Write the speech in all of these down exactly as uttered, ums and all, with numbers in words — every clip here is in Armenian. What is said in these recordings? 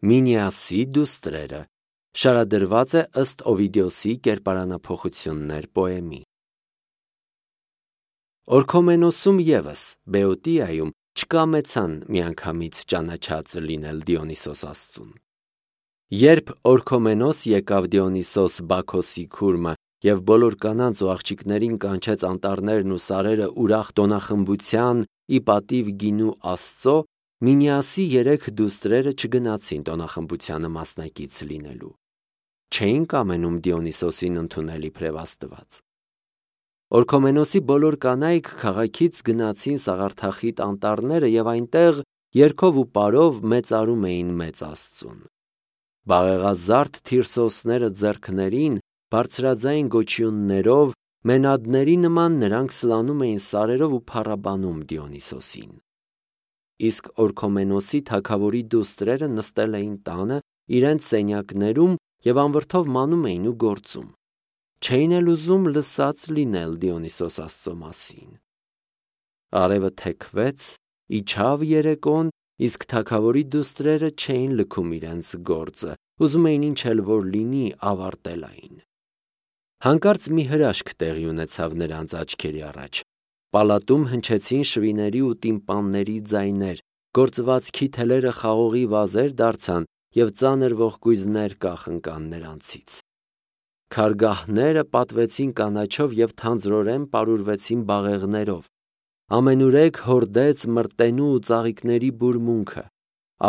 Մինիասի դուստրերը շարադրված է ըստ Օվիդիոսի կերպարանափոխություններ պոեմի։ Օրքոմենոսում ևս Բեոտիայում չկամեցան միանգամից ճանաչած լինել Դիոնիսոս աստծուն։ Երբ Օրքոմենոս եկավ Դիոնիսոս Բաքոսի քուրմը և բոլոր կանանց ու աղջիկներին կանչեց անտառներն ու սարերը ուրախ տոնախմբության ի պատիվ գինու Աստծո, Մինիասի երեք դուստրերը չգնացին տոնախմբությանը մասնակից լինելու։ Չէին կամենում Դիոնիսոսին ընդունել իբրև Աստված։ Օրքոմենոսի բոլոր կանայք քաղաքից գնացին սաղարթախիտ անտառները և այնտեղ երգով ու պարով մեծարում էին մեծ Աստծուն։ Բաղեղազարդ Թիրսոսները ձեռքներին, բարձրաձայն գոչյուններով, մենադների նման նրանք սլանում էին սարերով ու փառաբանում Դիոնիսոսին։ Իսկ Օրքոմենոսի թագավորի դուստրերը նստել էին տանը իրենց սենյակներում և անվրդով մանում էին ու գործում։ Չէին էլ ուզում լսած լինել Դիոնիսոս աստծո մասին։ Արևը թեքվեց, իջավ երեկոն, իսկ թագավորի դուստրերը չէին լքում իրենց գործը, ուզում էին ինչ էլ որ լինի ավարտել այն։ Հանկարծ մի հրաշք տեղի ունեցավ նրանց աչքերի առաջ։ Պալատում հնչեցին շվիների ու տիմպանների ձայներ, գործվածքի թելերը խաղողի վազեր դարձան և ծանր ողկույզներ կախնկան նրանցից։ Քարգահները պատվեցին կանաչով և թանձրորեն պարուրվեցին բաղեղներով։ Ամենուրեք հորդեց մրտենու ու ծաղիկների բուրմունքը։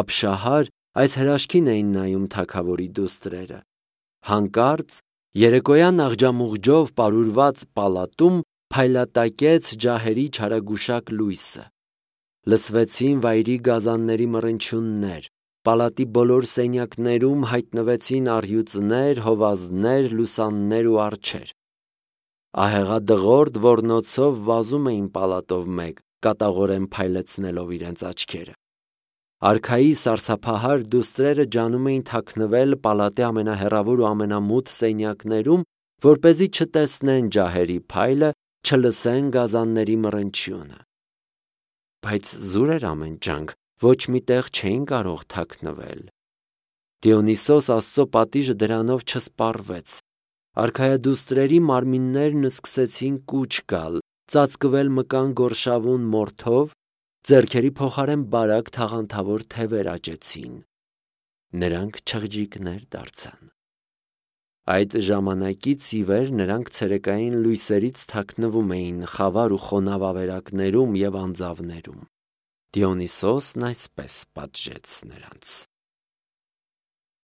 Ապշահար այս հրաշքին էին նայում թագավորի դուստրերը։ Հանկարծ երեկոյան աղջամուղջով պարուրված պալատում փայլատակեց ջահերի չարագուշակ լույսը։ Լսվեցին վայրի գազանների մռնչյուններ, պալատի բոլոր սենյակներում հայտնվեցին առյուծներ, հովազներ, լուսաններ ու արջեր։ Ահեղադղորդ ոռնոցով վազում էին պալատով մեկ, կատաղորեն փայլեցնելով իրենց աչքերը։ Արքայի սարսափահար դուստրերը ջանում էին թաքնվել պալատի ամենահեռավոր ու ամենամութ սենյակներում, որպեսզի չտեսնեն ջահերի փայլը, չլսեն գազանների մռնչյունը։ Բայց զուր էր ամեն ջանք, ոչ մի տեղ չէին կարող թաքնվել։ Դիոնիսոս աստծո պատիժը դրանով չսպառվեց։ Արքայադուստրերի մարմիններն սկսեցին կուչ գալ, ծածկվել մկան գորշավուն մորթով, ձեռքերի փոխարեն բարակ թաղանթավոր թևեր աճեցին։ Նրանք չղջիկներ դարձան։ Այդ ժամանակից ի վեր նրանք ցերեկային լույսերից թաքնվում էին խավար ու խոնավ ավերակներում և անձավներում։ Դիոնիսոսն այսպես պատժեց նրանց։